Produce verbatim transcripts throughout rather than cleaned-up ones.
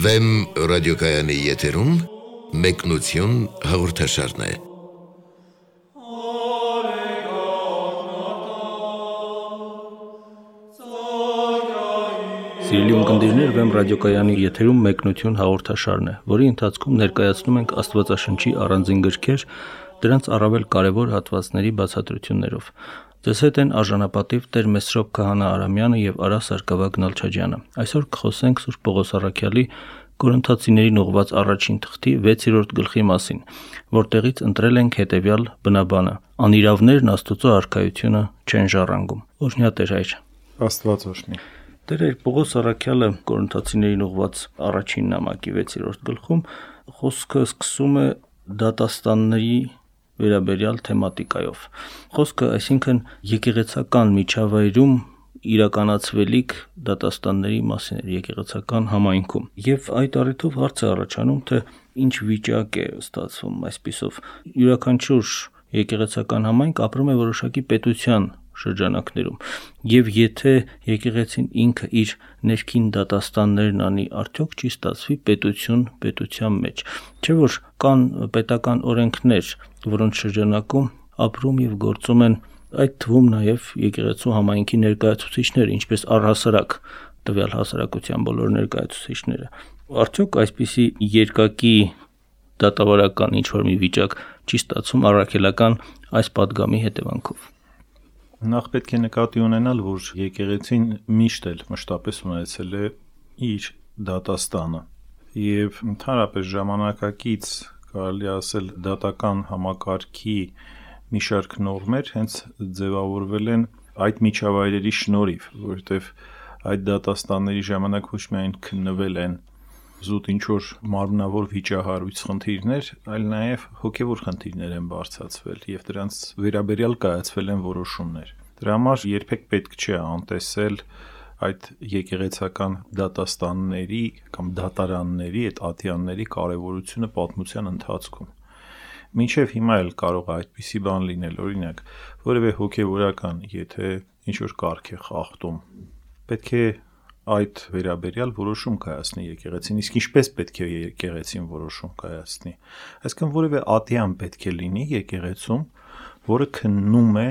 Վեմ ռադիոկայանի եթերում մեկնություն հաղորդաշարն է։ Սիրելի ունկնդիրներ, Վեմ ռադիոկայանի եթերում մեկնություն հաղորդաշարն է, որի ընթացքում ներկայացնում ենք Աստվածաշնչի առանձին գրքեր, դրանց առավել կարևոր հատվածների բացատրություններով։ Ձեզ հետ են արժանապատիվ Տեր Մեսրոպ Քահանա Արամյանը և Արա Սարգսակյան Նալչաջյանը։ Այսօր կխոսենք Սուրբ Պողոս առաքյալի Կորինթացիներին ուղղված առաջին թղթի վեցերորդ գլխի մասին, որտեղից ընտրել ենք հետևյալ բնաբանը. անիրավներն Աստծո արքայությունը չեն ժառանգում։ Օրհնյա Տեր հայր։ Աստված օրհնի։ Տեր հայր, Պողոս առաքյալը Կորինթացիներին ուղղված առաջին նամակի վեցերորդ գլխում խոսքը սկսում է դատաստանների վերաբերյալ թեմատիկայով։ Խոսքը, այսինքն եկեղեցական միջավայրում իրականացվելիք դատաստանների մասին է, եկեղեցական համայնքում։ Եվ այդ առիթով հարց է առաջանում, թե ինչ վիճակ է ստացվում այսպիսով։ Յուրաքանչյուր եկեղեցական համայնք ապրում է որոշակի պետության շրջանակներում, եւ եթե եկեղեցին ինքը իր ներքին դատաստաններն անի, արդյոք չի ստացվի պետություն պետության մեջ։ Չէ՞ որ կան պետական օրենքներ, որոնց շրջանակում ապրում եւ գործում են այդ թվում նաեւ եկեղեցու համայնքի ներկայացուցիչներ, ինչպես առհասարակ տվյալ հասարակության բոլոր ներկայացուցիչները։ Արդյոք այսպիսի երկակի դատավարական ինչ-որ մի վիճակ չի ստացվում առաքելական այս պատգամի հետևանքով։ Նախ պետք է նկատի ունենալ, որ եկեղեցին միշտ էլ մշտապես ունեցել է իր դատաստանը եւ ընդհանրապես ժամանակակից կարելի ասել դատական համակարգի մի շարք նորմեր հենց ձևավորվել են այդ միջավայրերի շնորհիվ, որովհետեւ այդ դատաստանների ժամանակ ոչ միայն քննվել են զուտ ինչ-որ մարմնավոր վիճահարույց խնդիրներ, այլ նաև հոգևոր խնդիրներ են բարձրացվել եւ դրանց վերաբերյալ կայացվել են որոշումներ։ Դրա համար երբեք պետք չէ անտեսել այդ եկեղեցական դատաստանների կամ դատարանների, այդ ատյանների կարևորությունը պատմության ընթացքում։ Մինչև հիմա էլ կարող է այդպիսի բան լինել, օրինակ, որևէ հոգևորական, եթե ինչ-որ կարգ է խախտում, պետք է այդ վերաբերյալ որոշում կայացնի եկեղեցին, իսկ ինչպես պետք է եկեղեցին որոշում կայացնի։ Այսինքն որևէ ատյան պետք է լինի եկեղեցում, որը քննում է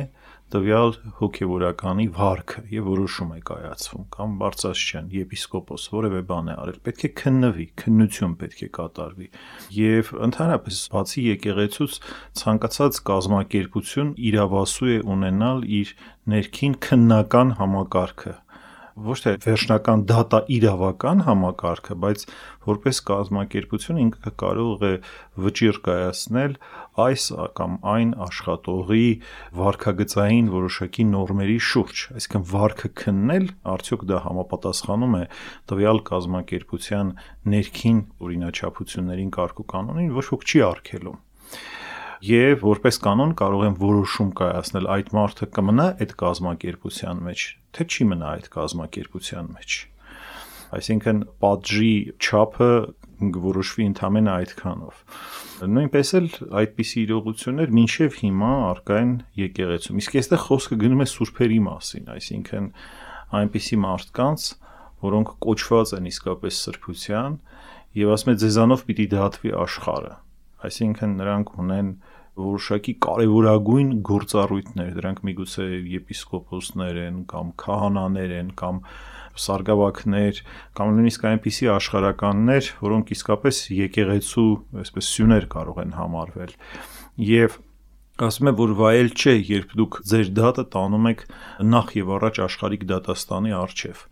տվյալ հոգևորականի վարքը եւ որոշում է կայացվում, կամ բարձրաստիճան եպիսկոպոս որևէ բան է արել, պետք է քննվի, քննություն պետք է կատարվի։ Եվ ընդհանրապես բացի եկեղեցուց ցանկացած կազմակերպություն իրավասու է ունենալ իր ներքին քննական համակարգը, ոչ թե վերջնական դատա իրավական համակարգը, բայց որպես կազմակերպություն ինքը կարող է վճիռ կայացնել այս կամ այն աշխատողի վարքագծային որոշակի նորմերի շուրջ, այսինքն վարքը քննել, արդյոք դա համապատասխանում է տվյալ կազմակերպության ներքին օրինաչափություններին, կարգուկանոնին, ոչ ոք չի արգելում։ Եվ որպես կանոն կարող են որոշում կայացնել այդ մարդը կմնա այդ կազմակերպության մեջ, թե չի մնա այդ կազմակերպության մեջ։ Այսինքն պատժի չափը որոշվի ընդամենը այդքանով։ Նույնպես էլ այդպիսի իրողություններ մինչև հիմա առկա են եկեղեցում։ Իսկ այստեղ խոսքը գնում է սուրբերի մասին, այսինքն այնպիսի մարդկանց, որոնք կոչված են իսկապես սրբության եւ ասում է ձեզանով պիտի դատվի աշխարհը։ Այսինքն նրանք ունեն որոշակի կարևորագույն գործառույթներ, դրանք միգուցե եպիսկոպոսներ են կամ քահանաներ են կամ սարգսակներ կամ նույնիսկ այնպիսի աշխարհականներ, որոնք իսկապես եկեղեցու այսպես սյուներ կարող են համարվել։ Եվ ասում է, որ վայել չէ, երբ դուք ձեր դատը տանում եք նախ եւ առաջ աշխարհիկ դատաստանի առջև։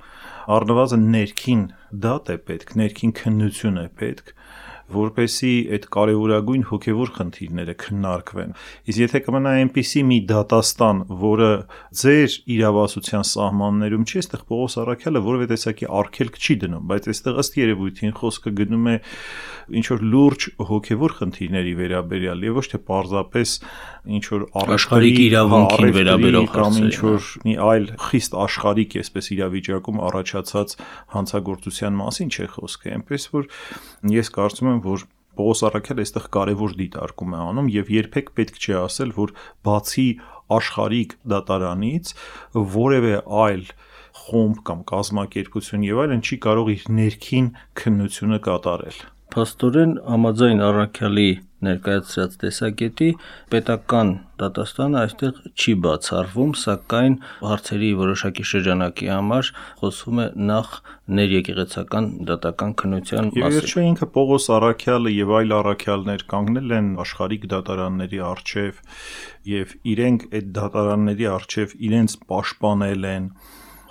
Առնվազն ներքին դատ է պետք, ներքին քննություն է պետք, որպեսի այդ կարևորագույն հոգևոր խնդիրները քննարկվեն։ Իսկ եթե կմնա այնպիսի մի դատաստան, որը ձեր իրավասության սահմաններում չի, այստեղ Պողոս առաքյալը որևէ տեսակի արգելք չի դնում, բայց այստեղ ըստ երևույթին խոսքը գնում է ինչ որ լուրջ հոգևոր խնդիրների վերաբերյալ եւ ոչ թե պարզապես ինչ որ աշխարհիկ իրավունքին վերաբերող կամ ինչ որ մի այլ խիստ աշխարհիկ այսպես իրավիճակում առաջացած հանցագործության մասին չէ խոսքը, այնպես որ ես կարծում եմ, որ Պողոս առաքյալը այստեղ կարևոր դիտարկում է անում եւ երբեք պետք չէ ասել, որ բացի աշխարհիկ դատարանից որևէ այլ խումբ կամ կազմակերպություն եւ այլն չի կարող իր ներքին քննությունը կատարել։ Փաստորեն համաձայն Առաքյալի ներկայացրած տեսակետի պետական դատաստանը այստեղ չի բացառվում, սակայն հարցերի որոշակի շրջանակի համար խոսվում է նախ ներեկեղեցական դատական քննության մասին։ Եվ վերջը ինքը Պողոս Առաքյալը եւ այլ առաքյալներ կանգնել են աշխարհիկ դատարանների առջև եւ իրենք այդ դատարանների առջև իրենց պաշտպանել են,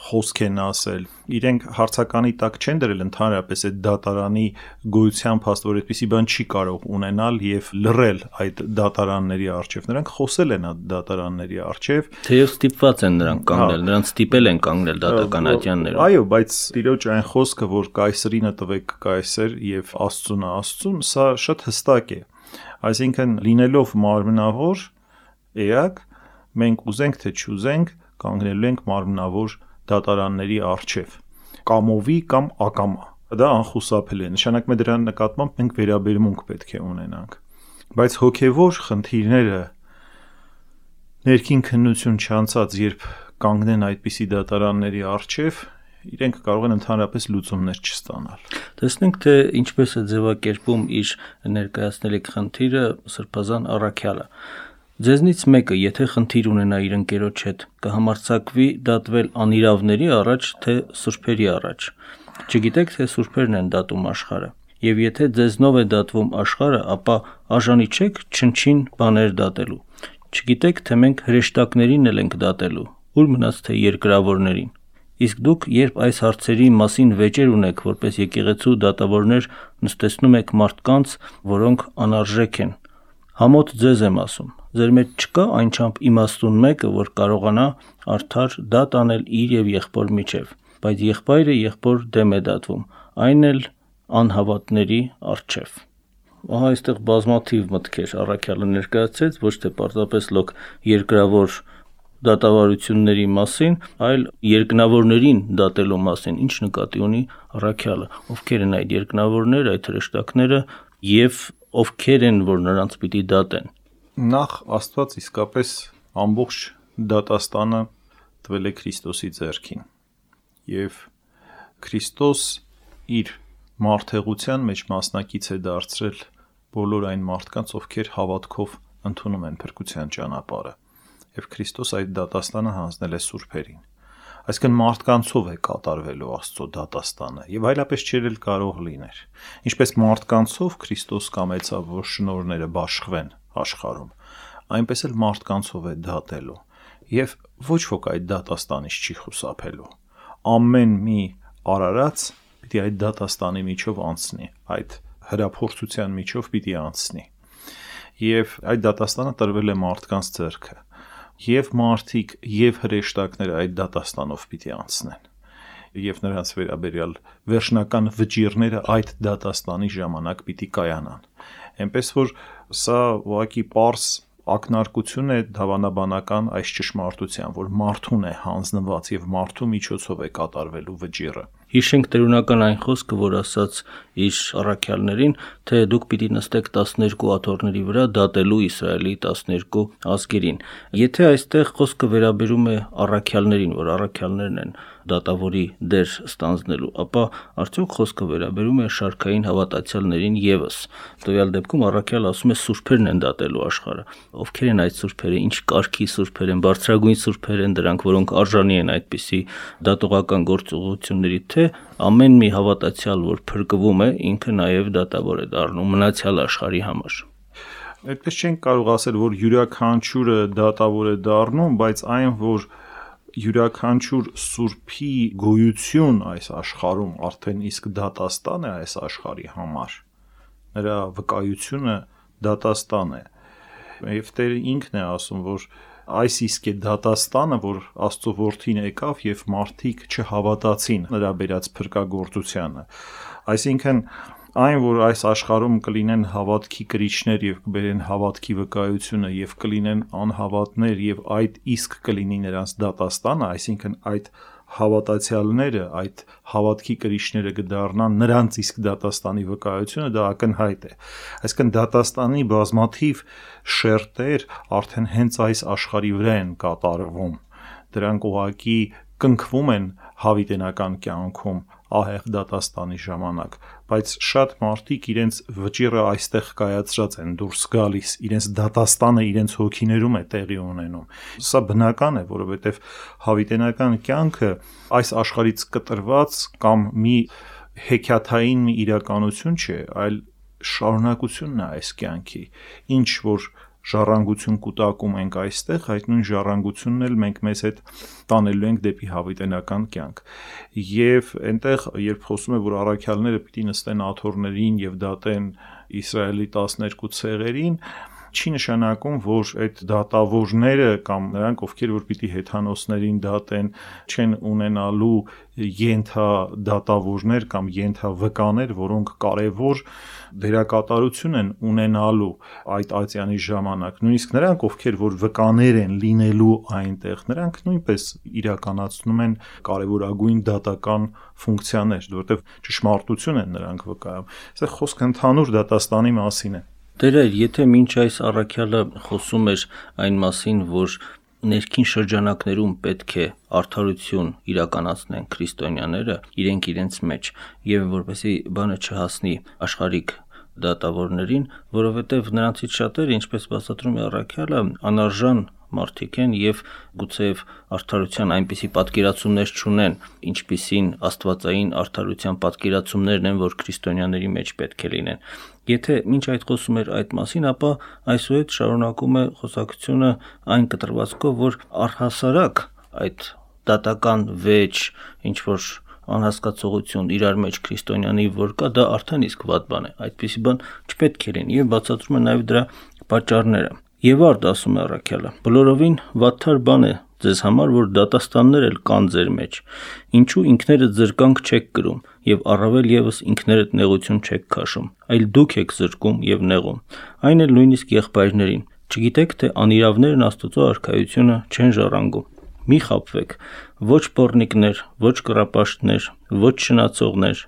խոսք են ասել, իրենք հարցականի տակ չեն դրել ընդհանրապես այդ դատարանի գոյության փաստ, որ այդպիսի բան չի կարող ունենալ եւ լռել այդ դատարանների առջև։ Նրանք խոսել են այդ դատարանների առջև, թեև ստիպված են նրանք կանգնել, նրանց ստիպել են կանգնել դատական ատյաններում։ Այո, բայց տիրոջ այն խոսքը, որ կայսրինը տվեք կայսր եւ Աստծունը Աստծուն, սա շատ հստակ է։ Այսինքն լինելով մարմնավոր էակ, մենք ուզենք թե չուզենք կանգնելու ենք մարմնավոր դատարանների առջև, կամովի կամ ակամա։ Դա անխուսափելի է, նշանակում է դրա նկատմամբ մենք վերաբերմունք պետք է ունենանք։ Բայց հոգևոր խնդիրները ներքին քննություն չանցած, երբ կանգնեն այդպիսի դատարանների առջև, իրենք կարող են ընդհանրապես լուծումներ չստանալ։ Տեսնենք, թե ինչպես է ձևակերպում իր ներկայացնելիք խնդիրը Սրբազան առաքյալը։ Ձեզնից մեկը, եթե խնդիր ունենա իր ընկերոջ հետ, կհամարձակվի դատվել անիրավների առաջ, թե սուրբերի առաջ։ Չգիտեք, թե սուրբերն են դատում աշխարհը։ Եվ եթե ձեզնով է դատվում աշխարհը, ապա արժանի չեք չնչին բաներ դատելու։ Չգիտեք, թե մենք հրեշտակներին էլ ենք դատելու, ուր մնաց թե երկրավորներին։ Իսկ դուք, երբ այս հարցերի մասին վեճեր ունեք, որպես եկեղեցու դատավորներ, նստեցնում եք մարդկանց, որոնք անարժեք են։ Համոտ ձեզ եմ ասում, ձեր մեջ չկա այնչափ իմաստուն մեկը, որ կարողանա արդար դատ անել իր եւ եղբոր միջև, բայց եղբայրը եղբոր դեմ է դատվում, այն էլ անհավատների առջև։ Ահա այստեղ բազմաթիվ մտքեր առաքյալը ներկայացրեց, ոչ թե պարզապես լոկ երկրավոր դատավարությունների մասին, այլ երկնավորներին դատելու մասին, ինչ նկատի ունի առաքյալը, ովքեր են այդ երկնավորները, այդ հրեշտակները եւ ովքեր են, որ նրանց պիտի դատեն։ Նախ Աստված իսկապես ամբողջ դատաստանը տվել է Քրիստոսի ձեռքին եւ Քրիստոս իր մարդեղության մեջ մասնակից է դարձրել բոլոր այն մարդկանց, ովքեր հավատքով ընդունում են փրկության ճանապարհը եւ Քրիստոս այդ դատաստանը հանձնել է սուրբերին։ Այսինքն մարդկանցով է կատարվելու Աստծո դատաստանը եւ այլապես չէր էլ կարող լիներ։ Ինչպես մարդկանցով Քրիստոս կամեցավ, որ շնորհները բաշխվեն աշխարհում, այնպես էլ մարդկանցով է դատելու եւ ոչ ոք այդ դատաստանից չի խուսափելու։ Ամեն մի արարած պիտի այդ դատաստանի միջով անցնի, այդ հրափորձության միջով պիտի անցնի։ Եվ այդ դատաստանը տրվել է մարդկանց ձեռքը։ Եվ մարդիկ, եւ հրեշտակները այդ դատաստանով պիտի անցնեն, եւ նրանց վերաբերյալ վերջնական վճիռները այդ դատաստանի ժամանակ պիտի կայանան։ Այնպես որ սա ուղղակի պարզ ակնարկություն է դավանաբանական այս ճշմարտության, որ մարդուն է հանձնված եւ մարդու միջոցով է կատարվելու վճիռը։ Հիշենք տերունական այն խոսքը, որ ասաց իր առաքյալներին, թե դուք պիտի նստեք տասներկու աթոռների վրա դատելու Իսրայելի տասներկու ազգերին։ Եթե այստեղ խոսքը վերաբերում է առաքյալներին, որ առաքյալներն են դատավորի դեր ստանձնելու, ապա արդյոք խոսքը վերաբերում է շարքային հավատացյալներին եւս։ Տվյալ դեպքում առաքյալը ասում է սուրբերն են դատելու աշխարհը։ Ովքեր են այդ սուրբերը, ինչ կարգի սուրբեր են, բարձրագույն սուրբեր են դրանք, որոնք արժանի են այդպիսի դատողական գործողությունների, թե ամեն մի հավատացյալ, որ փրկվում է, ինքը նաև դատավոր է դառնում մնացյալ աշխարհի համար։ Այդպես չենք կարող ասել, որ յուրաքանչյուրը դատավոր է դառնում, բայց այն, որ յուրաքանչյուր սուրբի գոյություն այս աշխարհում արդեն իսկ դատաստան է այս աշխարհի համար, նրա վկայությունը դատաստան է։ Եվ Տերը ինքն է ասում, որ այս իսկ է դատաստանը, որ Աստծո որդին եկավ եւ մարդիկ չհավատացին նրա բերած փրկagorցությանը։ Այսինքն այն, որ այս աշխարհում կլինեն հավատքի կրիչներ եւ կբերեն հավատքի վկայությունը եւ կլինեն անհավատներ եւ այդ իսկ կլինի նրանց դատաստանը, այսինքն այդ հավատացյալները, այդ հավատքի կրիչները կդառնան նրանց իսկ դատաստանի վկայությունը, դա ակնհայտ է։ Այսինքն դատաստանի բազմաթիվ շերտեր արդեն հենց այս աշխարհի վրա են կատարվում։ Դրանք ուղղակի կնքվում են հավիտենական կյանքում ահեղ դատաստանի ժամանակ, բայց շատ մարդիկ իրենց վճիռը այստեղ կայացրած են դուրս գալիս, իրենց դատաստանը իրենց հոգիներում է տեղի ունենում։ Սա բնական է, որովհետև հավիտենական կյանքը այս աշխարհից կտրված կամ մի հեքիաթային մի իրականություն չէ, այլ շարունակությունն է այս կյանքի, ինչ որ ժառանգություն կուտակում ենք այստեղ, այդ նույն ժառանգությունն էլ մենք մեզ հետ տանելու ենք դեպի հավիտենական կյանք։ Եվ այնտեղ, երբ խոսում է, որ առաքյալները պիտի նստեն աթոռներին եւ դատեն Իսրայելի տասներկու ցեղերին, չի նշանակում, որ այդ դատավորները կամ նրանք, ովքեր որ պիտի հեթանոսներին դատեն, չեն ունենալու ենթադատավորներ կամ ենթավկաներ, որոնք կարևոր դերակատարություն են ունենալու այդ ատյանի ժամանակ։ Նույնիսկ նրանք, ովքեր որ վկաներ են լինելու այնտեղ, նրանք նույնպես իրականացնում են կարևորագույն դատական ֆունկցիաներ, որովհետև ճշմարտություն են նրանք վկայում։ Այստեղ խոսքը ընդհանուր դատաստանի մասին է։ Տերը, եթե մինչ այս առաքյալը խոսում էր այն մասին, որ ներքին շրջանակներում պետք է արդարություն իրականացնեն քրիստոնյաները իրենք իրենց մեջ, եւ որպեսզի բանը չհասնի աշխարհիկ դատավորներին, որովհետև նրանցից շատերը, ինչպես բացատրում է առաքյալը, անարժան մարդիկ են եւ գուցեև արդարության այնպիսի պատկերացումներ չունեն, ինչպիսին աստվածային արդարության պատկերացումներն են, որ քրիստոնյաների մեջ պետք է լինեն։ Եթե մինչ այդ խոսում էր այդ մասին, ապա այսուհետ շարունակում է խոսակցությունը այն կտրվածքով, որ առհասարակ այդ դատական վեճ, ինչ որ անհասկացողություն իրար մեջ քրիստոնյանի որ կա, դա արդեն իսկ վատ բան է, այդպիսի բան չպետք է լինի, եւ բացատրում է նաեւ դրա պատճառները։ Եվ արդ ասում է առաքյալը, բոլորովին վատթար բան է ձեզ համար, որ դատաստաններ էլ կան ձեր մեջ, ինչու ինքներդ զրկանք չեք կրում եւ առավել եւս ինքներդ նեղություն չեք քաշում, այլ դուք եք զրկում եւ նեղում, այն էլ նույնիսկ եղբայրներին, չգիտեք թե անիրավներն Աստծո արքայությունը չեն ժառանգում։ Մի խաբվեք, ոչ պոռնիկներ, ոչ կռապաշտներ, ոչ շնացողներ,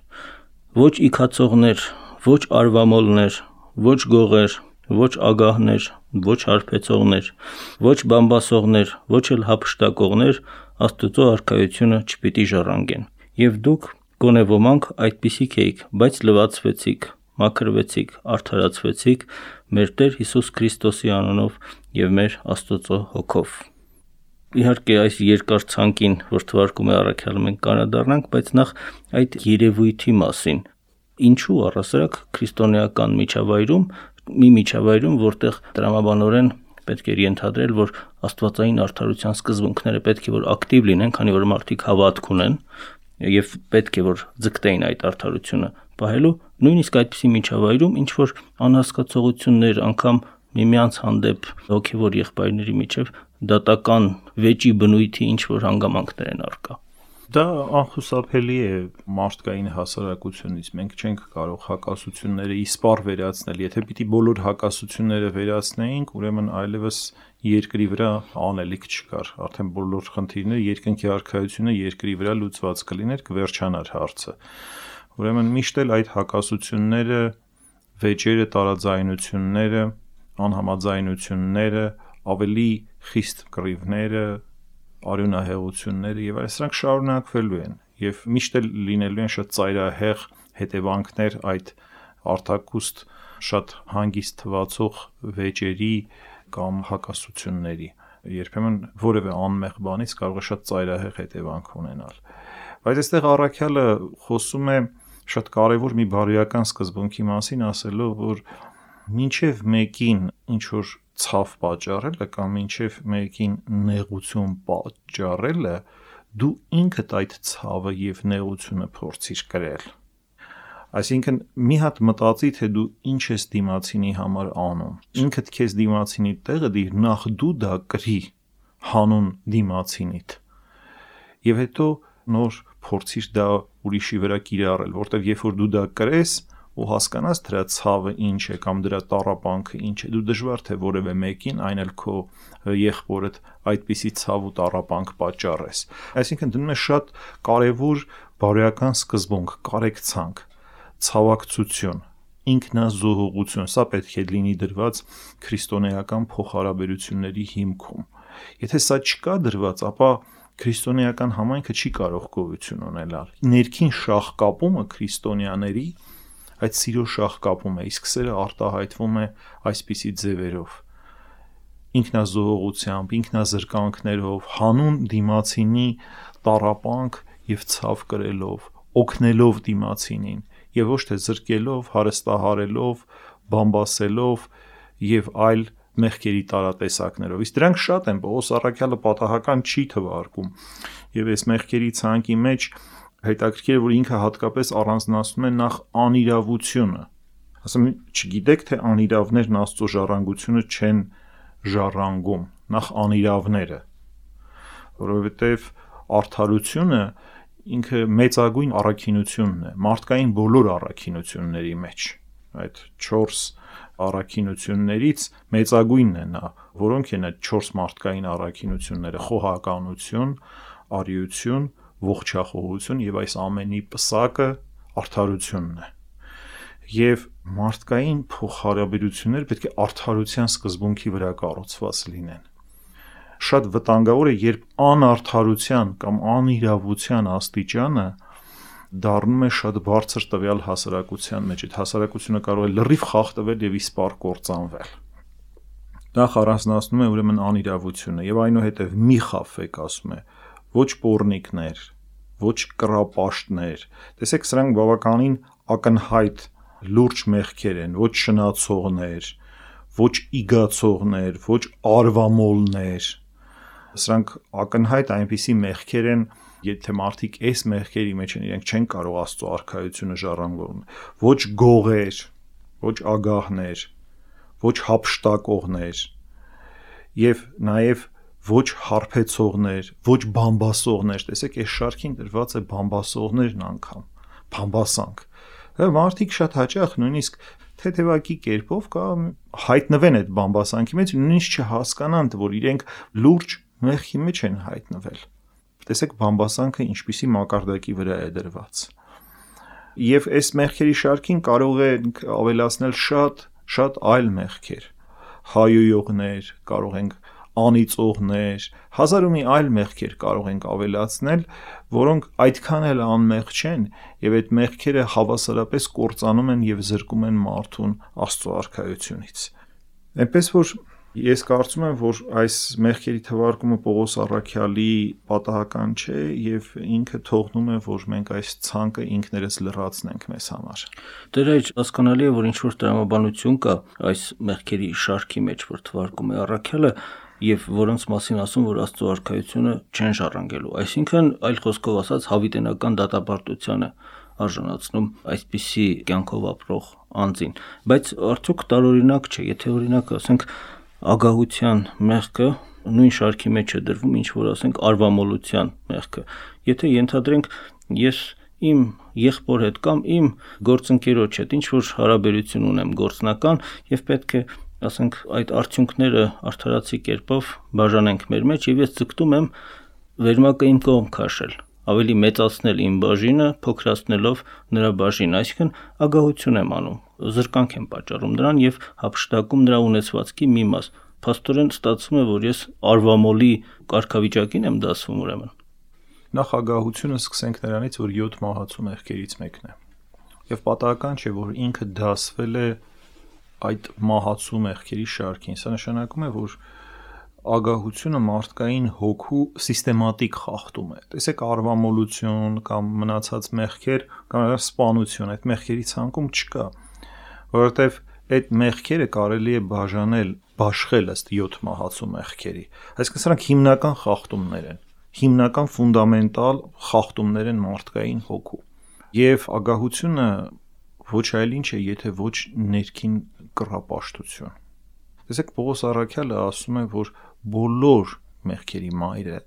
ոչ իքացողներ, ոչ արվամոլներ, ոչ գողեր, ոչ ագահներ, ոչ հարբեցողներ, ոչ բամբասողներ, ոչ էլ հափշտակողներ Աստծո արքայությունը չպիտի ժառանգեն։ Եվ դուք գոնե ոմանք այդպիսիք էիք, բայց լվացվեցիք, մաքրվեցիք, արդարացվեցիք մեր Տեր Հիսուս Քրիստոսի անունով եւ մեր Աստծո հոգով։ Իհարկե այս երկար ցանկին, որ թվարկում է առաքյալը, մենք կանադառնանք, բայց նախ այդ երևույթի մասին։ Ինչու առասարակ քրիստոնեական միջավայրում, մի միջավայրում, որտեղ տրամաբանորեն պետք է ենթադրել, որ աստվածային արդարության սկզբունքները պետք է որ ակտիվ լինեն, քանի որ մարդիկ հավատք ունեն եւ պետք է որ ձգտեին այդ արդարությունը պահելու, նույնիսկ այդպիսի միջավայրում ինչ որ անհասկացողություններ, անգամ միմյանց հանդեպ հոգեվոր եղբայրների միջև դատական վեճի բնույթի ինչ որ հանգամանքներ են առկա։ Դա անխուսափելի է մարդկային հասարակությունից։ Մենք չենք կարող հակասությունները իսպառ վերացնել։ Եթե պիտի բոլոր հակասությունները վերացնեինք, ուրեմն այլևս երկրի վրա անելիք չկար։ Արդեն բոլոր խնդիրները, երկնքի արքայությունը երկրի վրա լուծված կլիներ, կվերջանար հարցը։ Ուրեմն միշտ էլ այդ հակասությունները, վեճերը, տարաձայնությունները, անհամաձայնությունները, ավելի խիստ կռիվները, արյունահեղությունները եւ այս սրանք շարունակվելու են եւ միշտ էլ լինելու են շատ ծայրահեղ հետևանքներ այդ արտակուստ շատ հանգիստ թվացող վեճերի կամ հակասությունների։ Երբեմն որևէ անմեղ բանից կարող է շատ ծայրահեղ հետևանք ունենալ։ Բայց այստեղ առաքյալը խոսում է շատ կարևոր մի բարոյական սկզբունքի մասին, ասելով, որ մինչև մեկին ինչ որ ցավ պատճառելը կամ մինչև մեկին նեղություն պատճառելը, դու ինքդ այդ ցավը եւ նեղությունը փորձիր կրել։ Այսինքն մի հատ մտածի, թե դու ինչ ես դիմացինի համար անում։ Ինքդ քեզ դիմացինի տեղը դիր, նախ դու դա կրի հանուն դիմացինիդ։ Եվ հետո նոր փորձիր դա ուրիշի վրա կիրառել, որտեղ երբ որ դու դա կրես ու հասկանաս դրա ցավը ինչ է կամ դրա տառապանքը ինչ է, դու դժվար թե որևէ մեկին, այն էլ քո եղբորդ այդպիսի ցավ ու տառապանք պատճառես։ Այսինքն դնում է շատ կարևոր բարոյական սկզբունք, կարեկցանք, ցավակցություն, ինքնազոհողություն, սա պետք է լինի դրված քրիստոնեական փոխհարաբերությունների հիմքում։ Եթե սա չկա դրված, ապա քրիստոնեական համայնքը չի կարող գոյություն ունենալ։ Ներքին շաղկապումը քրիստոնյաների այդ սիրո շաղկապում է, իսկ սերը արտահայտվում է այսպիսի ձևերով. ինքնազոհողությամբ, ինքնազրկանքներով, հանուն դիմացինի տառապանք եւ ցավ կրելով, օգնելով դիմացինին եւ ոչ թե զրկելով, հարստահարելով, բամբասելով եւ այլ մեղքերի տարատեսակներով։ Իսկ դրանք շատ են, Պողոս առաքյալը պատահական չի թվարկում եւ այս մեղքերի ցանկի մեջ հետաքրքիր է, որ ինքը հատկապես առանձնացնում է նախ անիրավությունը։ Ասում չգիտեք, թե անիրավներն Աստծո ժառանգությունը չեն ժառանգում, նախ անիրավները, որովհետև արդարությունը ինքը մեծագույն առաքինությունն է, մարդկային բոլոր առաքինությունների մեջ, այդ չորս առաքինություններից մեծագույնն է նա, որոնք են այդ չորս մարդկային առաքինությունները՝ խոհականություն, արիություն, ողջախոհություն եւ այս ամենի պսակը արդարությունն է։ Եվ մարդկային փոխհարաբերությունները պետք է արդարության սկզբունքի վրա կառուցված լինեն։ Շատ վտանգավոր է, երբ անարդարության կամ անիրավության աստիճանը դառնում է շատ բարձր տվյալ հասարակության մեջ։ Այդ հասարակությունը կարող է լրիվ խախտվել եւ իսպառ կործանվել։ Դա առանձնացնում է ուրեմն անիրավությունը եւ այնուհետեւ մի խաբվեք, ասում է, ոչ պոռնիկներ, ոչ կռապաշտներ։ Տեսեք, սրանք բավականին ակնհայտ լուրջ մեղքեր են, ոչ շնացողներ, ոչ իգացողներ, ոչ արվամոլներ։ Սրանք ակնհայտ այնպիսի մեղքեր են, եթե մարդիկ այս մեղքերի մեջ են, իրենք չեն կարող Աստծո արքայությունը ժառանգել։ Ոչ գողեր, ոչ ագահներ, ոչ հափշտակողներ եւ նաեւ ոչ հարբեցողներ, ոչ բամբասողներ։ Տեսեք, այս շարքին դրված է բամբասողներն անգամ, բամբասանք։ Մարդիկ շատ հաճախ նույնիսկ թեթևակի կերպով կա հայտնվեն այդ բամբասանքի մեջ, նույնիսկ չհասկանան, որ իրենք լուրջ մեղքի մեջ են հայտնվել։ Տեսեք, բամբասանքը ինչպիսի մակարդակի վրա է դրված։ Եվ այս մեղքերի շարքին կարող է ավելացնել շատ, շատ այլ մեղքեր։ Հայոյողներ, կարող ենք անիծողներ, հազար ու մի այլ մեղքեր կարող ենք ավելացնել, որոնք այդքան էլ անմեղ չեն եւ այդ մեղքերը հավասարապես կործանում են եւ զրկում են մարդուն Աստծո արքայությունից։ Այնպես որ ես կարծում եմ, որ այս մեղքերի թվարկումը Պողոս առաքյալի պատահական չէ եւ ինքը թողնում է, որ մենք այս ցանկը ինքներս լրացնենք մեզ համար։ Դեր այլ հասկանալի է, որ ինչ որ տրամաբանություն կա այս մեղքերի շարքի մեջ, որ թվարկում է առաքյալը եւ որոնց մասին ասում, որ Աստծո արքայությունը չեն ժառանգելու։ Այսինքն, այլ խոսքով ասած, հավիտենական դատապարտությանը արժանացնում այսպիսի կյանքով ապրող անձին։ Բայց արդյոք տարօրինակ չէ, եթե օրինակ ասենք ագահության մեղքը նույն շարքի մեջ է դրվում, ինչ որ ասենք արվամոլության մեղքը։ Եթե ենթադրենք ես իմ եղբոր հետ կամ իմ գործընկերոջ հետ ինչ որ հարաբերություն ունեմ գործնական եւ պետք է ասենք այդ արդյունքները արդարացի կերպով բաժանենք մեր մեջ եւ ես ձգտում եմ վերմակը իմ կողմ քաշել, ավելի մեծացնել իմ բաժինը, փոքրացնելով նրա բաժինը, այսինքն ագահություն եմ անում, զրկանք եմ պատճառում նրան եւ հափշտակում նրա ունեցվածքի մի մաս։ Փաստորեն ստացվում է, որ ես արվամոլի կարգավիճակին եմ դասվում ուրեմն։ Նախ ագահությունը սկսենք նրանից, որ յոթ մահացու մեղքերից մեկն է։ Եվ պատահական չէ, որ ինքը դասվել է այդ մահացու մեղքերի շարքին։ Սա նշանակում է, որ ագահությունը մարդկային հոգու սիստեմատիկ խախտում է։ Տեսեք, արվամոլություն կամ մնացած մեղքեր կամ սպանություն այդ մեղքերի ցանկում չկա, որովհետև այդ մեղքերը կարելի է բաժանել, բաշխել ըստ յոթ մահացու մեղքերի։ Այսինքն սրանք հիմնական խախտումներ են, հիմնական ֆունդամենտալ խախտումներ են մարդկային հոգու։ Եվ ագահությունը ոչ այլ ինչ է, եթե ոչ ներքին կռապաշտություն։ Տեսեք, Պողոս առաքյալը ասում է, որ բոլոր մեղքերի մայրը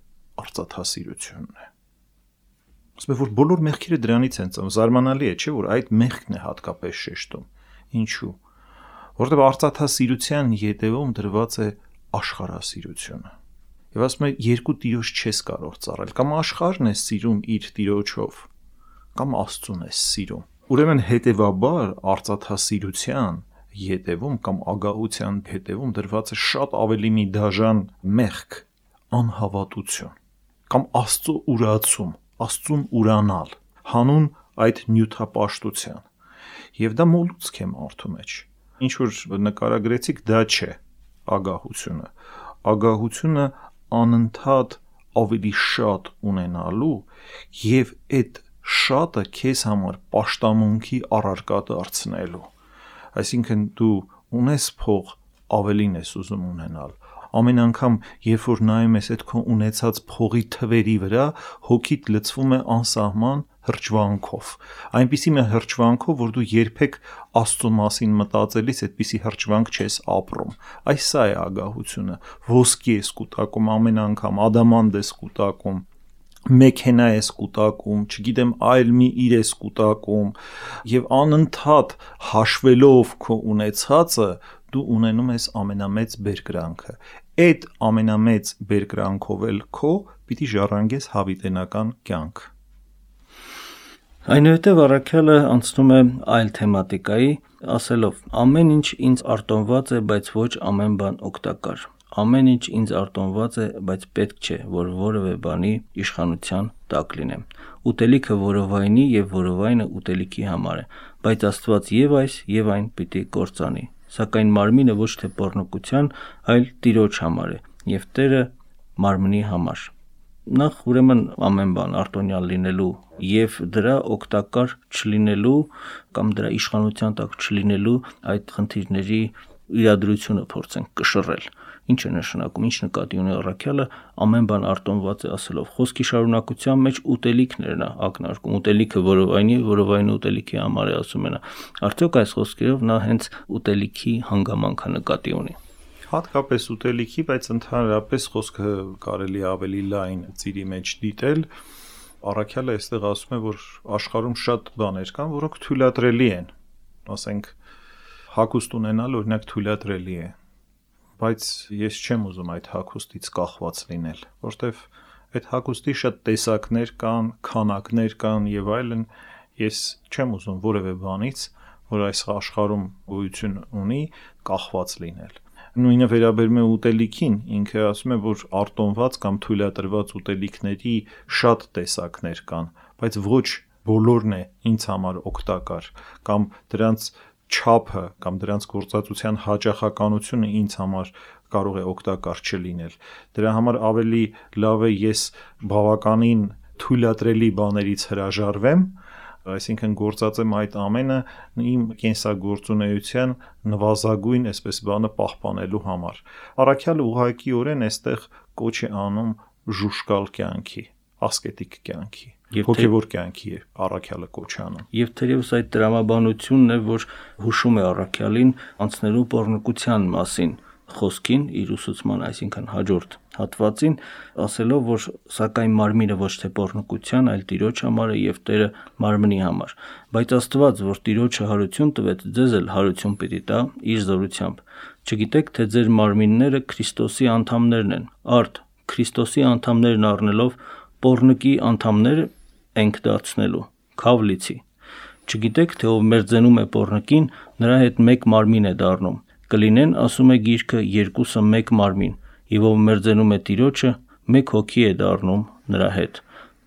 արծաթասիրությունն է։ Ասում է, որ բոլոր մեղքերը դրանից են ծնվում։ Զարմանալի է, չէ՞, որ այդ մեղքն է հատկապես շեշտում։ Ինչու՞։ Որտեղ արծաթասիրության ետևում դրված է աշխարհասիրությունը։ Եվ ասում է, երկու տիրոջ չես կարող ծառայել, կամ աշխարհն է սիրում իր տիրոջով, կամ Աստծուն է սիրում։ Ուրեմն հետևաբար արծաթասիրության ետևում կամ ագահության հետևում դրված է շատ ավելի մի դաժան մեղք, անհավատություն։ կամ Աստծո ուրացում, Աստծուն ուրանալ, հանուն այդ նյութապաշտության։ Եվ դա մոլուցք է մարդու մեջ։ Ինչ որ նկարագրեցիք, դա չէ ագահությունը։ Ագահությունը անընդհատ ավելի շատ ունենալու եւ այդ շատը քեզ համար պաշտամունքի առարկա դարձնելու։ Այսինքն դու ունես փող, ավելին ես ուզում ունենալ։ Ամեն անգամ, երբ որ նայում ես այդ քո ունեցած փողի թվերի վրա, հոգիդ լցվում է անսահման հրճվանքով, այնպիսի մի հրճվանքով, որ դու երբեք Աստծո մասին մտածելիս այդպիսի հրճվանք չես ապրում։ Այս սա է ագահությունը։ Ոսկի ես կուտակում ամեն անգամ, ադամանդ ես կուտակում, մեքենա ես կուտակում, չգիտեմ, այլ մի իր ես կուտակում, եւ անընդհատ հաշվելով քո ունեցածը, դու ունենում ես ամենամեծ բերկրանքը։ Այդ ամենամեծ բերկրանքով էլ քո պիտի ժառանգես հավիտենական կյանք։ Այնուհետև առաքյալը անցնում է այլ թեմատիկայի, ասելով. ամեն ինչ ինձ արտոնված է, բայց ոչ ամեն բան օգտակար։ Ամեն ինչ ինձ արտոնված է, բայց պետք չէ, որ որևէ բանի իշխանության տակ լինեմ։ Ուտելիքը որովայնի եւ որովայնը ուտելիքի համար է, բայց Աստված եւ այս եւ այն պիտի կործանի։ Սակայն մարմինը ոչ թե պոռնկության, այլ Տիրոջ համար է, եւ Տերը մարմնի համար։ Նախ ուրեմն ամեն բան արտոնյալ լինելու եւ դրա օգտակար չլինելու կամ դրա իշխանության տակ չլինելու այդ խնդիրների իրադրությունը փորձենք կշռել։ Ինչ է նշանակում, ինչ նկատի ունի առաքյալը ամեն բան արտոնված է ասելով։ Խոսքի շարունակության մեջ ուտելիքներն է ակնարկում, ուտելիքը որովայնի, որովայնը ուտելիքի համար է, ասում են։ Արդյոք այս խոսքերով նա հենց ուտելիքի հանգամանքը նկատի ունի։ Հատկապես ուտելիքի, բայց ընդհանրապես խոսքը կարելի ավելի լայն ծիրի մեջ դիտել։ Առաքյալը այստեղ ասում է, որ աշխարհում շատ բաներ կան, որոնք թույլատրելի են, ասենք հագուստ ունենալ օրինակ թույլատրելի է, բայց ես չեմ ուզում այդ հագուստից կախված լինել, որտեվ այդ հագուստի շատ տեսակներ կան, քանակներ կան եւ այլն, ես չեմ ուզում որևէ բանից, որ այս աշխարհում գոյություն ունի, կախված լինել։ Նույնը վերաբերում է ուտելիքին, ինքը ասում է, որ արտոնված կամ թույլատրված ուտելիքների շատ տեսակներ կան, բայց ոչ բոլորն է ինձ համար օգտակար, կամ դրանց չափը կամ դրանց գործածության հաճախականությունը ինձ համար կարող է օգտակար չլինել։ Դրա համար ավելի լավ է ես բավականին թույլատրելի բաներից հրաժարվեմ, այսինքն գործածեմ այդ ամենը իմ կենսագործունեության նվազագույն, այսպես բանը պահպանելու համար։ Առաքյալը ուղղակիորեն այստեղ կոչ է անում ժուշկալ կյանքի, ասկետիկ կյանքի, հոգևոր կյանքի է առաքյալը կոչ անում։ Եվ թերևս այդ տրամաբանությունն է, որ հուշում է առաքյալին անցնելու պոռնկության մասին խոսքին իր ուսուցման, այսինքն հաջորդ հատվածին, ասելով, որ սակայն մարմինը ոչ թե պոռնկության, այլ Տիրոջ համար է եւ Տերը մարմնի համար։ Բայց Աստված, որ Տիրոջը հարություն տվեց, ձեզ էլ հարություն պիտի տա իր զորությամբ։ Չգիտեք, թե ձեր մարմինները Քրիստոսի անդամներն են։ Արդ Քրիստոսի անդամներն առնելով պոռնկի անդամներ ենք դարձնելու, քավլիցի։ Չգիտեք, թե ով մերձենում է պոռնկին, նրա հետ մեկ մարմին է դառնում։ Կլինեն, ասում է գիրքը, երկուսը մեկ մարմին, եւ ով մերձենում է Տիրոջը, մեկ հոգի է դառնում նրա հետ։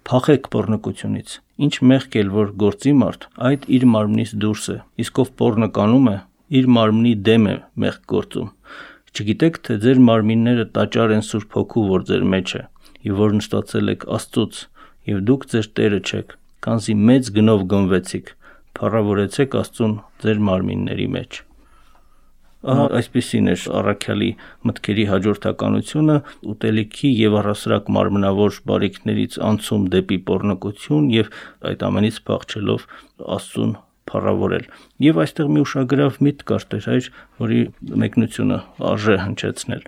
Փախեք պոռնկությունից։ Ինչ մեղք էլ որ գործի մարդ, այդ իր մարմնից դուրս է, իսկ ով պոռնկանում է, իր մարմնի դեմ է մեղք գործում։ Չգիտեք, թե ձեր մարմինները տաճար են Սուրբ Հոգու, որ ձեր մեջ է, եւ որ նստացել եք Աստծուց, եւ դուք ձեր Տերը չեք, քանզի մեծ գնով գնվեցիք, փառավորեցեք Աստծուն ձեր մարմինների մեջ։ Ահա այսպիսին է առաքյալի մտքերի հաջորդականությունը, ուտելիքի եւ առասրակ մարմնավոր բարիքներից անցում դեպի պոռնկություն եւ այդ ամենից փախչելով Աստծուն փառավորել։ Եվ այստեղ մի ուշագրավ միտք կար Տեր, որի մեկնությունը արժե հնչեցնել։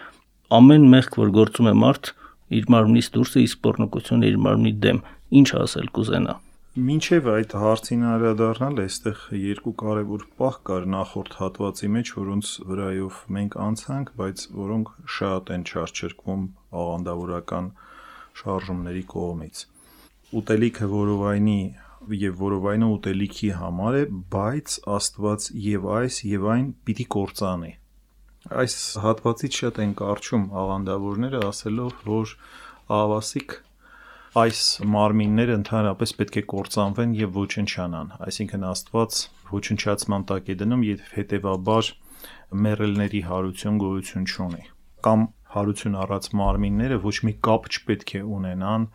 Ամեն մեղք, որ գործում է մարդ, իր մարմնից դուրս է, իսկ պոռնկությունը իր մարմնի դեմ, ինչ ասել կուզենա։ Մինչև այդ հարցին անդրադառնալ, այստեղ երկու կարևոր պահ կար նախորդ հատվածի մեջ, որոնց վրայով մենք անցանք, բայց որոնք շատ են չարչրկվում աղանդավորական շարժումների կողմից։ Ուտելիքը որովայնի եւ որովայնը ուտելիքի համար է, բայց Աստված եւ այս եւ այն պիտի կործանի։ Այս հատվածից շատ են կարճում աղանդավորները, ասելով, որ ահավասիկ այս մարմինները ընդհանրապես պետք է կործանվեն եւ ոչնչանան, այսինքն Աստված ոչնչացման տակ է դնում եւ հետեւաբար մեռելների հարություն գոյություն չունի, կամ հարություն առած մարմինները ոչ մի կապ չպետք է ունենան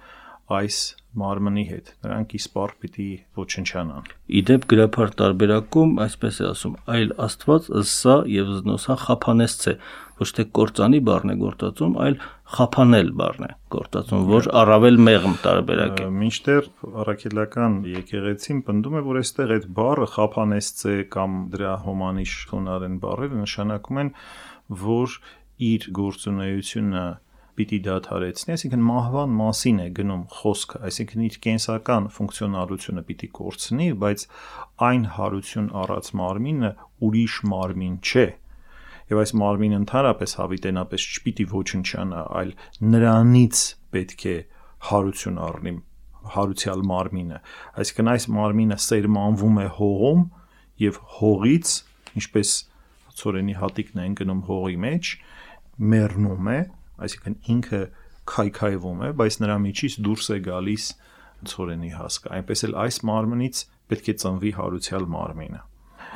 այս մարմնի հետ, նրանք իսպառ պիտի ոչնչանան։ Իդեպ գրաբար տարբերակում այսպես է ասում, այլ Աստված ըսսա եւ զնոսա խափանեսց է, ոչ թե կործանի բառն է գործածում, այլ խափանել բառն է գործածում, որ առավել մեղմ տարբերակ է։ Մինչդեռ առաքելական եկեղեցին պնդում է, որ այստեղ այդ բառը խափանեսց է կամ դրա հոմանիշ խոնարհեն բառերը նշանակում են, որ իր գործունեությունը պիտի դադարեցնի, այսինքն մահվան մասին է գնում խոսքը, այսինքն իր կենսական ֆունկցիոնալությունը պիտի կորցնի, բայց այն հարություն առած մարմինը ուրիշ մարմին չէ։ Եվ այս մարմինը ընդհանրապես հավիտենապես չպիտի ոչնչանա, այլ նրանից պետք է հարություն առնի հարուցյալ մարմինը։ Այսինքն այս մարմինը սերմանվում է հողում եւ հողից, ինչպես ցորենի հատիկն է ընկնում հողի մեջ, մեռնում է, այսինքն ինքը քայքայվում է, բայց նրա միջից դուրս է գալիս ցորենի հասկը։ Այնպես էլ այս մարմնից պետք է ծնվի հարուցյալ մարմինը։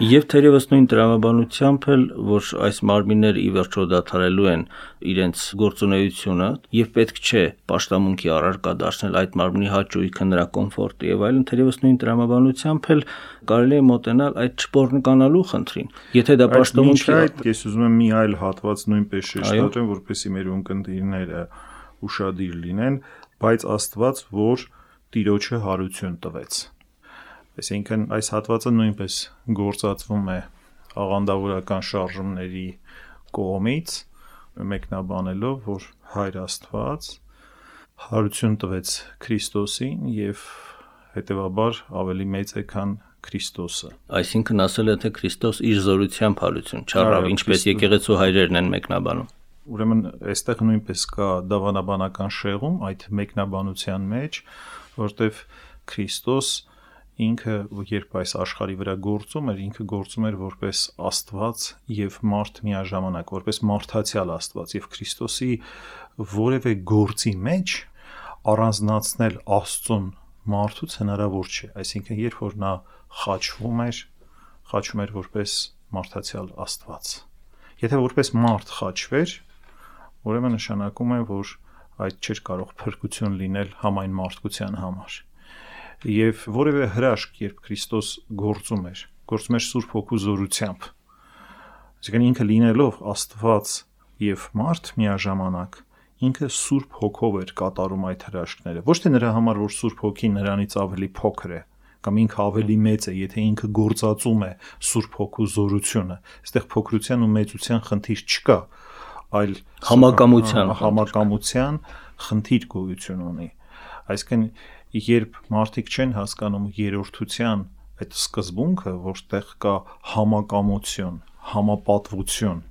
Եվ թերևս նույն տրամաբանությամբ էլ, որ այս մարմինները ի վերջո դադարելու են իրենց գործունեությունը եւ պետք չէ պաշտամունքի առարկա դարձնել այդ մարմնի հաճույքը, նրա կոմֆորտը եւ այլն, թերևս նույն տրամաբանությամբ էլ կարելի է մոտենալ այդ չփոռնկանալու խնդրին։ Եթե դա պաշտամունքի այդ ես ուզում եմ մի այլ հատված նույնպես շեշտադրեմ, որպեսզի մեր ունկնդիրները ուշադիր լինեն, բայց Աստված, որ Տիրոջը հարություն տվեց։ Այսինքն այս հատվածը նույնպես գործածվում է աղանդավորական շարժումների կողմից, մեկնաբանելով, որ Հայր Աստված հարություն տվեց Քրիստոսին եւ հետեւաբար ավելի մեծ է, քան Քրիստոսը։ Այսինքն ասել է, թե Քրիստոս իր զորությամբ հարություն չառավ, ինչպես եկեղեցու հայրերն են մեկնաբանում։ Ուրեմն այստեղ նույնպես կա դավանաբանական շեղում այդ մեկնաբանության մեջ, որտեղ Քրիստոս ինքը երբ այս աշխարհի վրա գործում էր, ինքը գործում էր որպես Աստված եւ մարդ միաժամանակ, որպես մարդացյալ Աստված եւ Քրիստոսի որևէ գործի մեջ առանձնացնել Աստծուն մարդուց հնարավոր չէ, այսինքն երբ որ նա խաչվում էր, խաչում էր որպես մարդացյալ Աստված։ Եթե որպես մարդ խաչվեր, ուրեմն նշանակում է, որ այդ չէր կարող փրկություն լինել համայն մարդկության համար։ Եվ որևէ հրաշք, երբ Քրիստոս գործում էր, գործում էր Սուրբ Հոգու զորությամբ, այսինքն ինքը լինելով Աստված եւ մարդ միաժամանակ, ինքը Սուրբ Հոգով էր կատարում այդ հրաշքները, ոչ թե նրա համար, որ Սուրբ Հոգին նրանից ավելի փոքր է, կամ ինքը ավելի մեծ է, եթե ինքը գործածում է Սուրբ Հոգու զորությունը, այստեղ փոքրության ու մեծության խնդիր չկա, այլ համակամության համակամության խնդիր գոյություն ունի։ Այսինքն երբ մարդիկ չեն հասկանում երրորդության այդ սկզբունքը, որտեղ կա համակամություն, համապատվություն,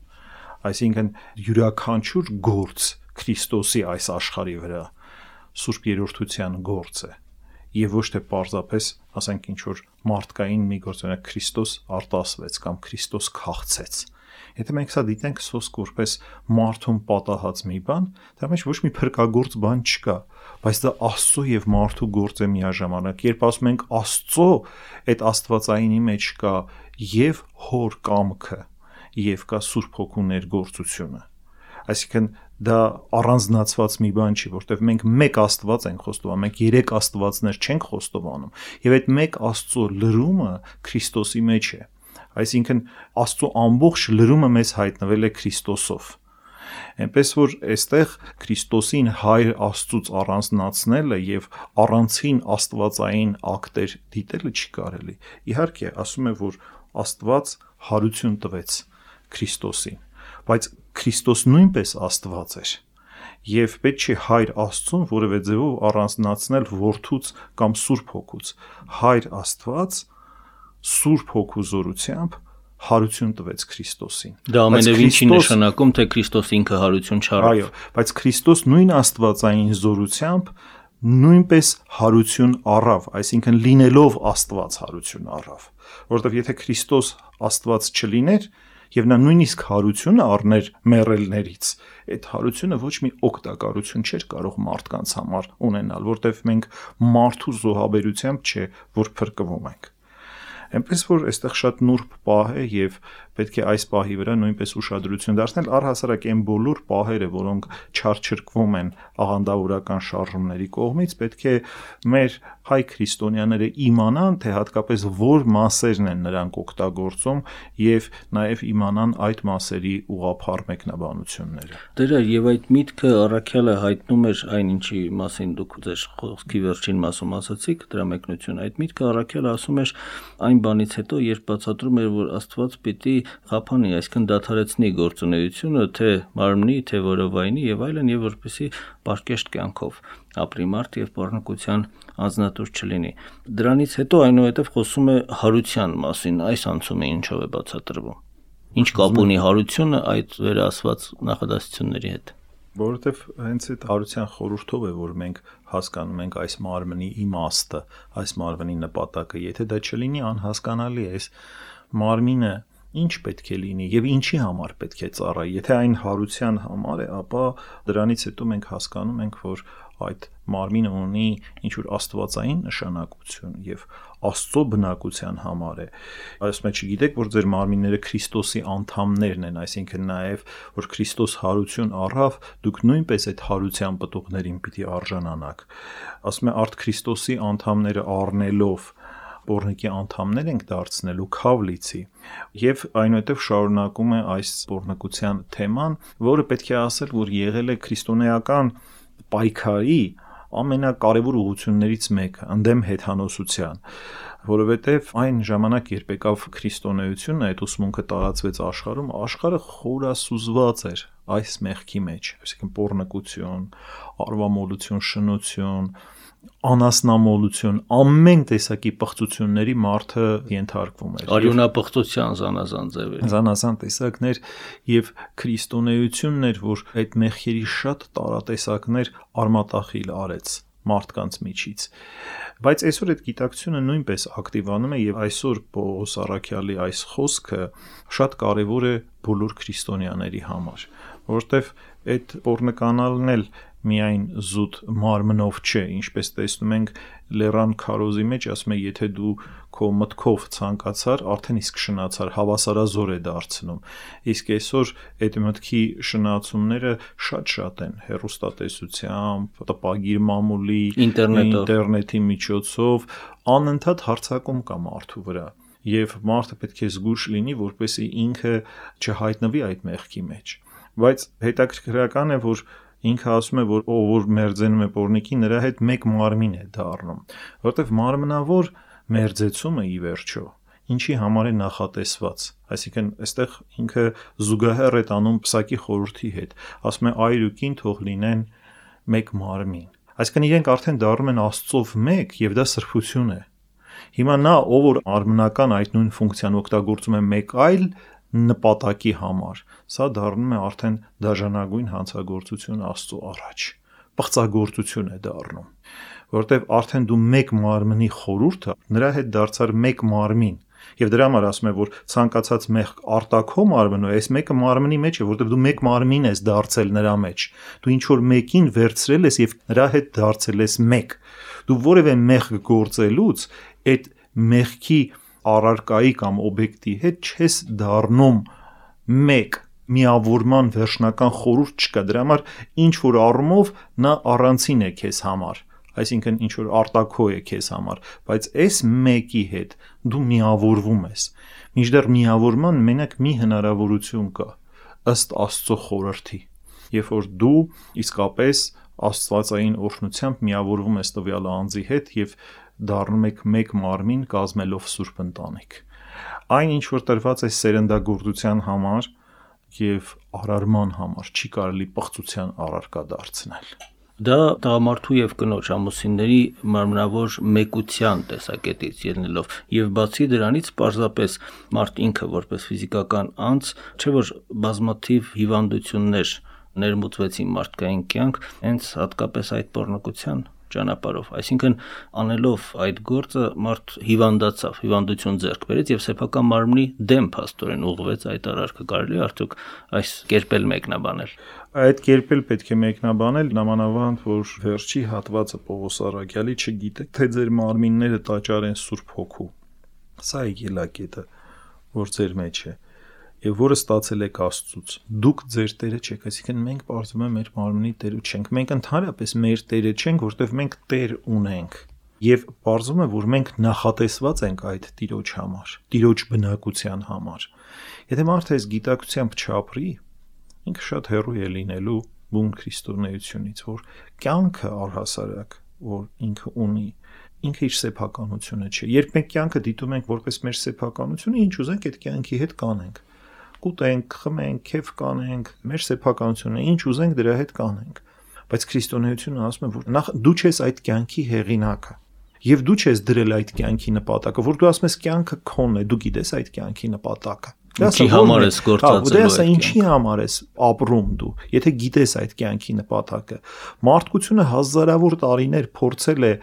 այսինքն յուրաքանչյուր գործ Քրիստոսի այս աշխարհի վրա Սուրբ երրորդության գործ է, եւ ոչ թե պարզապես, ասենք ինչ որ մարդկային մի գործ, օրինակ Քրիստոս արտասվեց կամ Քրիստոս քաղցեց։ Եթե մենք սա դիտենք սոսկ որպես մարդուն պատահած մի բան, դա մեջ ոչ մի փրկագործ բան չկա, բայց դա Աստծո եւ մարդու գործ է միաժամանակ։ Երբ ասում ենք Աստծո, այդ Աստվածայինի մեջ կա եւ Հոր կամքը, եւ կա Սուրբ Հոգու ներգործությունը։ Այսինքն դա առանձնացված մի բան չի, որտեղ մենք մեկ Աստված ենք խոստովանում, մենք երեք Աստվածներ չենք խոստովանում, եւ այդ մեկ Աստծո լրումը Քրիստոսի մեջ է։ Այսինքն Աստծո ամբողջ լրումը մեզ հայտնվել է Քրիստոսով։ Այնպես որ այստեղ Քրիստոսին Հայր Աստծուց առանձնացնելը եւ առանցին աստվածային ակտեր դիտելը չի կարելի։ Իհարկե, ասում է, որ Աստված հարություն տվեց Քրիստոսին, բայց Քրիստոս նույնպես Աստված էր։ Եվ պետք չի Հայր Աստծուն որևէ ձևով առանձնացնել Որդուց կամ Սուրբ Հոգուց։ Հայր Աստված Սուրբ Հոգու զորությամբ հարություն տվեց Քրիստոսին։ Դա ամենևին չի նշանակում, թե Քրիստոս ինքը հարություն չառավ։ Այո, բայց Քրիստոս նույն աստվածային զորությամբ նույնպես հարություն առավ, այսինքն լինելով Աստված հարություն առավ, որովհետև եթե Քրիստոս Աստված չլիներ, եւ նա նույնիսկ հարությունը առներ մեռելներից, այդ հարությունը ոչ մի օգտակարություն չէր կարող մարդկանց համար ունենալ, որտեղ մենք մարդու զոհաբերությամբ չէ, որ փրկվում ենք։ Այնպես որ այստեղ շատ նուրբ պահ է եւ պետք է այս պահի վրա նույնպես ուշադրություն դարձնել, առհասարակ այն բոլոր պահերը, որոնք չարչրկվում են աղանդավորական շարժումների կողմից, պետք է մեր հայ քրիստոնյաները իմանան, թե հատկապես որ մասերն են նրանք օգտագործում եւ նաեւ իմանան այդ մասերի ուղղափառ մեկնաբանությունները։ Դրա եւ այդ միտքը առաքյալը հայտնում էր այն, ինչի մասին դուք ձեր խոսքի վերջին մասում ասացիք, դրա մեկնությունը, այդ միտքը առաքյալը ասում էր այն բանից հետո, երբ բացատրում էր, որ Աստված պիտի խափանի, այսինքն դադարեցնի գործունեությունը, թե մարմնի, թե որովայնի եւ այլն, եւ որպեսզի պարկեշտ կյանքով ապրի մարդ եւ բառնկության անձնատուր չլինի։ Դրանից հետո այնուհետև խոսում է հարության մասին, այս անցումը ինչով է բացատրվում։ Ինչ կապ ունի հարությունը այդ վերահասված նախադասությունների հետ։ Որովհետև հենց այդ հարության խորհրդով է, որ մենք հասկանում ենք այս մարմնի իմաստը, այս մարմնի նպատակը, եթե դա չլինի, անհասկանալի է, այս մարմինը ինչ պետք է լինի եւ ինչի համար պետք է ծառայի։ Եթե այն հարության համար է, ապա դրանից հետո մենք հասկանում ենք, որ այդ մարմինը ունի ինչ-որ աստվածային նշանակություն եւ Աստծո բնակության համար է։ Այսպես մեջ գիտեք, որ ձեր մարմինները Քրիստոսի անդամներն են, այսինքն նաեւ որ Քրիստոս հարություն առավ, դուք նույնպես այդ հարության պտուղներին պիտի արժանանաք։ Ասում է արդ Քրիստոսի անդամները առնելով Պոռնիկի անդամներ ենք դարձնելու քավլիցի եւ այնուհետեւ շարունակում է այս պոռնկության թեման, որը պետք է ասել, որ եղել է քրիստոնեական պայքարի ամենակարևոր ուղղություններից մեկը ընդդեմ հեթանոսության, որովհետև այն ժամանակ, երբ եկավ քրիստոնեությունը, այդ ուսմունքը տարածվեց աշխարհում, աշխարհը խորասուզված էր այս մեղքի մեջ, այսինքն պոռնկություն, արվամոլություն, շնություն, անասնամոլություն, ամեն տեսակի պղծությունների մարդը ենթարկվում էր։ Արյունապղծության զանազան ձևեր։ Զանազան տեսակներ եւ քրիստոնեությունն էր, որ այդ մեղքերի շատ տարատեսակներ արմատախիլ արեց մարդկանց միջից։ Բայց այսօր այդ գիտակցությունը նույնպես ակտիվանում է եւ այսօր Պողոս առաքյալի այս խոսքը շատ կարեւոր է բոլոր քրիստոնյաների համար, որովհետեւ այդ պոռնկանալն էլ միայն զուտ մարմնով չէ, ինչպես տեսնում ենք Լեռան քարոզի մեջ, ասում է, եթե դու քո մտքով ցանկացար, արդեն իսկ շնացար, հավասարազոր է դարձնում։ Իսկ այսօր այդ մտքի շնացումները շատ-շատ են, հեռուստատեսությամբ, տպագիր մամուլի, ինտերնետի միջոցով, անընդհատ հարձակում կա մարդու վրա։ Եվ մարդը պետք է զգույշ լինի, որպեսզի ինքը չհայտնվի այդ մեղքի մեջ։ Բայց հետաքրքրական է, որ ինքը ասում է, որ ով որ մերձենում է պոռնիկին, նրա հետ մեկ մարմին է դառնում, որովհետև մարմնավոր մերձեցումը ի վերջո ինչի համար է նախատեսված, այսինքն այստեղ ինքը զուգահեռ է տանում Պսակի խորհրդի հետ, ասում է այր ու կին թող լինեն մեկ մարմին, այսինքն իրենք արդեն դառնում են Աստծով մեկ եւ դա սրբություն է։ Հիմա նա ով որ արմնական այդ նույն ֆունկցիան օգտագործում է մեկ այլ նպատակի համար, սա դառնում է արդեն դաժանագույն հանցագործություն Աստծո առաջ, պղծագործություն է դառնում, որովհետև արդեն դու մեկ մարմնի խորհուրդը նրա հետ դարձար մեկ մարմին, եւ դրա համար ասում է, որ ցանկացած մեղք արտաքո մարմնը այս մեկը մարմնի մեջ է, որովհետև դու մեկ մարմին ես դարձել նրա մեջ, դու ինչ որ մեկին վերցրել ես եւ նրա հետ դարձել ես մեկ, դու որևէ մեղք գործելուց այդ մեղքի առարկայի կամ օբյեկտի հետ չես դառնում մեկ, միավորման վերջնական խորհուրդ չկա, դրա համար ինչ որ առումով նա առանցին է քեզ համար, այսինքն ինչ որ արտաքո է քեզ համար, բայց այս մեկի հետ դու միավորվում ես, մինչդեռ միավորման մենակ մի հնարավորություն կա, ըստ Աստծո խորհրդի, երբ որ դու իսկապես աստվածային օրհնությամբ միավորվում ես տվյալ անձի հետ եւ դառնում եք մեկ մարմին կազմելով սուրբ ընտանիք։ Այն ինչ որ տրված է սերնդագործության համար եւ արարման համար չի կարելի պղծության առարկա դարձնել։ Դա տղամարդու եւ կնոջ ամուսինների մարմնավոր մեկության տեսակետից ելնելով եւ բացի դրանից պարզապես մարդ ինքը որպես ֆիզիկական անձ, չէ որ բազմաթիվ հիվանդություններ ներմուծվեցին մարդկային կյանք, հենց հատկապես այդ պոռնկության ճանապարհով, այսինքն անելով այդ գործը մարդ հիվանդացավ, հիվանդություն ձեռք բերեց եւ սեփական մարմնի դեմ փաստորեն ուղղվեց այդ արարքը։ Կարելի է արդյոք այս կերպել մեկնաբանել։ Այդ կերպել պետք է մեկնաբանել, նամանավանդ որ վերջի հատվածը Պողոս Առաքյալի չգիտեք, թե ձեր մարմինները տաճար են Սուրբ Հոգու։ Սա է ելակետը, որ ձեր մեջ է եւ որը ստացել եք Աստծուց։ Դուք ձեր Տերը չեք, այսինքն մենք բարձում է մեր մարմնի Տերը չենք։ Մենք ընդհանրապես մեր Տերը չենք, որտեղ մենք Տեր ունենք։ Եվ բարձում է, որ մենք նախատեսված ենք այդ Տիրոջ համար, Տիրոջ բնակության համար։ Եթե մարդը այս գիտակցությամբ չապրի, ինքը շատ հեռու է լինելու բուն քրիստոնեությունից, որ կյանքը առհասարակ, որ ինքը ունի, ինքը իր սեփականությունը չէ։ Երբ մենք կյանքը դիտում ենք որպես մեր սեփականությունը, ինչ ուզենք այդ կյանքի հետ կանենք։ Կուտենք, խմենք, քեֆ կանենք, մեր սեփականությունը, ինչ ուզենք դրա հետ կանենք։ Բայց քրիստոնեությունը ասում է, որ նախ դու ես այդ կյանքի հեղինակը, եւ դու ես դրել այդ կյանքի նպատակը, որ դու ասում ես կյանքը քոնն է, դու գիտես այդ կյանքի նպատակը։ Ինչի համար ես գործածելու այդ կյանքը։ Ինչի համար ես ապրում դու, եթե գիտես այդ կյանքի նպատակը։ Մարդկությունը հազարավոր տարիներ փորձել է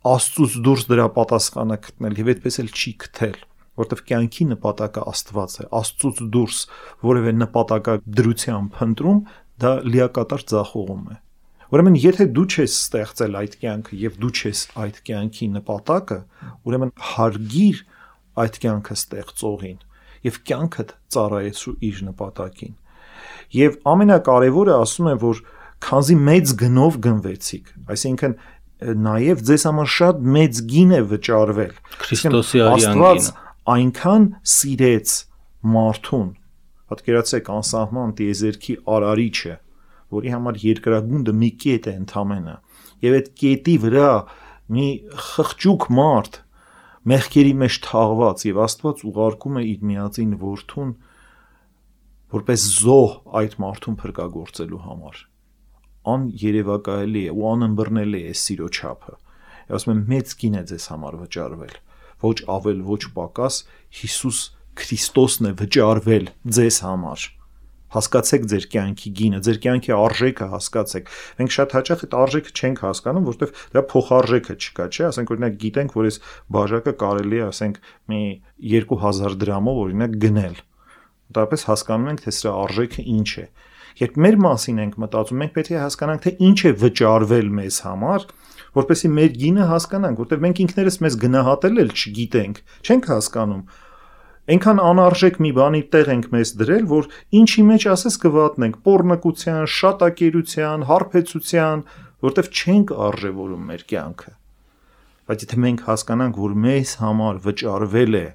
Աստծուց դուրս դրա պատասխանը գտնել եւ այդպես էլ չի գտել, որտեղ կյանքի նպատակը Աստված է, Աստծուց դուրս որևէ նպատակադրությամբ փնտրում, դա լիակատար ձախողում է։ Ուրեմն եթե դու ես ստեղծել այդ կյանքը եւ դու ես այդ կյանքի նպատակը, ուրեմն հարգիր այդ կյանքը ստեղծողին եւ կյանքդ ծառայեցու իր նպատակին։ Եվ ամենակարևորը ասում է, որ քանզի մեծ գնով գնվեցիք, այսինքն նաև ձեզ համար շատ մեծ գին է վճարվել։ Քրիստոսի արյան գինը այնքան սիրեց մարդուն, պատկերացեք անսահման տիեզերքի արարիչը, որի համար երկրագունդը մի կետ է ընդամենը, եւ այդ կետի վրա մի խղճուկ մարդ մեղքերի մեջ թաղված, եւ Աստված ուղարկում է իր միածին որդուն որպես զոհ այդ մարդուն փրկagorցելու համար։ Աներևակայելի է ու անըմբռնելի է սիրո չափը։ Ասում եմ մեծ գին է ձեզ համար վճարվել, ոչ ավել, ոչ պակաս, Հիսուս Քրիստոսն է վճարվել ձեզ համար։ Հասկացեք ձեր կյանքի գինը, ձեր կյանքի արժեքը հասկացեք։ Մենք շատ հաճախ այդ արժեքը չենք հասկանում, որովհետև դրա փոխարժեքը չկա, չէ՞, ասենք օրինակ գիտենք, որ այս բաժակը կարելի է, ասենք, մի երկու հազար դրամով օրինակ գնել։ Դրապես հասկանում ենք, թե սրա արժեքը ինչ է։ Երբ մեր մասին ենք մտածում, մենք պետք է հասկանանք, թե ինչ է վճարվել մեզ համար, որպեսզի մեր գինը հասկանանք, որտեղ մենք ինքներս մեզ գնահատել էլ չգիտենք, չենք հասկանում։ Այնքան անարժեք մի բանի տեղ ենք մեզ դրել, որ ինչի մեջ ասես կվատնենք պոռնկության, շատակերության, հարբեցության, որտեղ չենք արժևորում մեր կյանքը։ Բայց եթե մենք հասկանանք, որ մեզ համար վճարվել է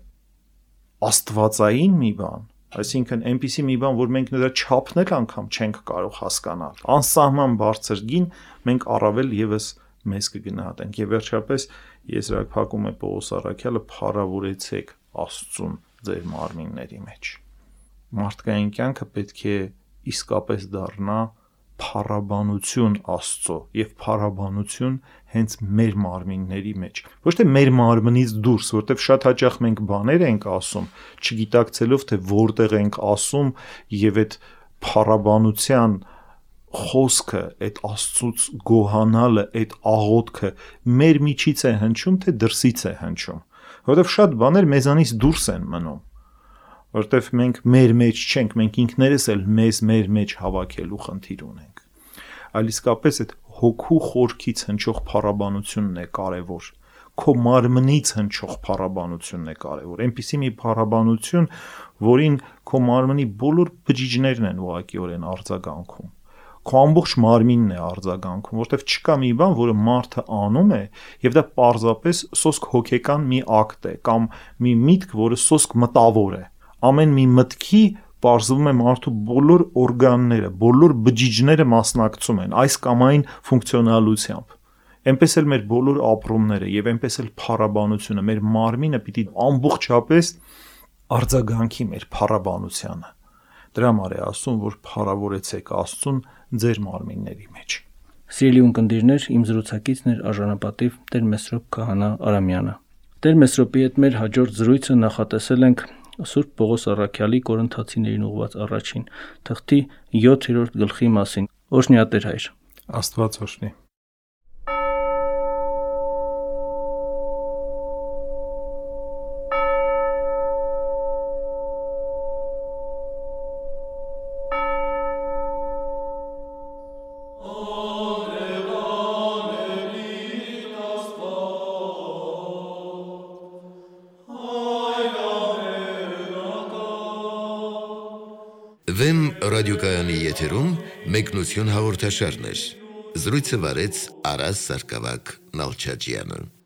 աստվածային մի բան, այսինքն այնպիսի մի բան, որ մենք նրա չափն էլ անգամ չենք կարող հասկանալ, անսահման բարձր գին, մենք առավել եւս մեզ կգնահատենք։ Եվ վերջապես եզրափակում է Պողոս Առաքյալը, փառավորեցեք Աստծուն ձեր մարմինների մեջ։ Մարդկային կյանքը պետք է իսկապես դառնա փառաբանություն Աստծո եւ փառաբանություն հենց մեր մարմինների մեջ։ Ոչ թե մեր մարմնից դուրս, որտեղ շատ հաճախ մենք բաներ ենք ասում, չգիտակցելով թե որտեղ ենք ասում եւ այդ փառաբանության խոսքը, այդ Աստծուց գոհանալը, այդ աղոթքը մեր միջից է հնչում, թե դրսից է հնչում։ Որովհետև շատ բաներ մեզանից դուրս են մնում, որովհետև մենք մեր մեջ չենք, մենք ինքներս էլ մեզ մեր մեջ հավաքելու խնդիր ունենք։ Այլ իսկապես այդ հոգու խորքից հնչող փառաբանությունն է կարևոր, քո մարմնից հնչող փառաբանությունն է կարևոր, այնպիսի մի փառաբանություն, որին քո մարմնի բոլոր բջիջներն են ուղղակիորեն արձագանքում։ Քո ամբողջ մարմինն է արձագանքում, որտեղ չկա մի բան, որը մարդը անում է, եւ դա պարզապես սոսկ հոգեկան մի ակտ է կամ մի միտք, որը սոսկ մտավոր է։ Ամեն մի մտքի պարզվում է մարդու բոլոր օրգանները, բոլոր բջիջները մասնակցում են այս կամ այն ֆունկցիոնալությամբ։ Այնպես էլ մեր բոլոր ապրումները եւ այնպես էլ փառաբանությունը, մեր մարմինը պիտի ամբողջապես արձագանքի մեր փառաբանությանը։ Դրա համար է ասում, որ փառավորեցեք Աստծուն ձեր մարմինների մեջ։ Սիրելի ունկնդիրներ, իմ զրուցակիցն էր արժանապատիվ Տեր Մեսրոպ Քահանա Արամյանը։ Տեր Մեսրոպի հետ մեր հաջորդ զրույցը նախատեսել ենք Սուրբ Պողոս Առաքյալի Կորինթացիներին ուղված առաջին թղթի յոթերորդ գլխի մասին։ Օրհնյա Տեր հայր։ Աստված օրհնի։ Ռադիոկայանի եթերում մեկնություն հաղորդաշարներ։ Զրույցը վարեց Արաս Սարգսակյան Նալչաջյանը։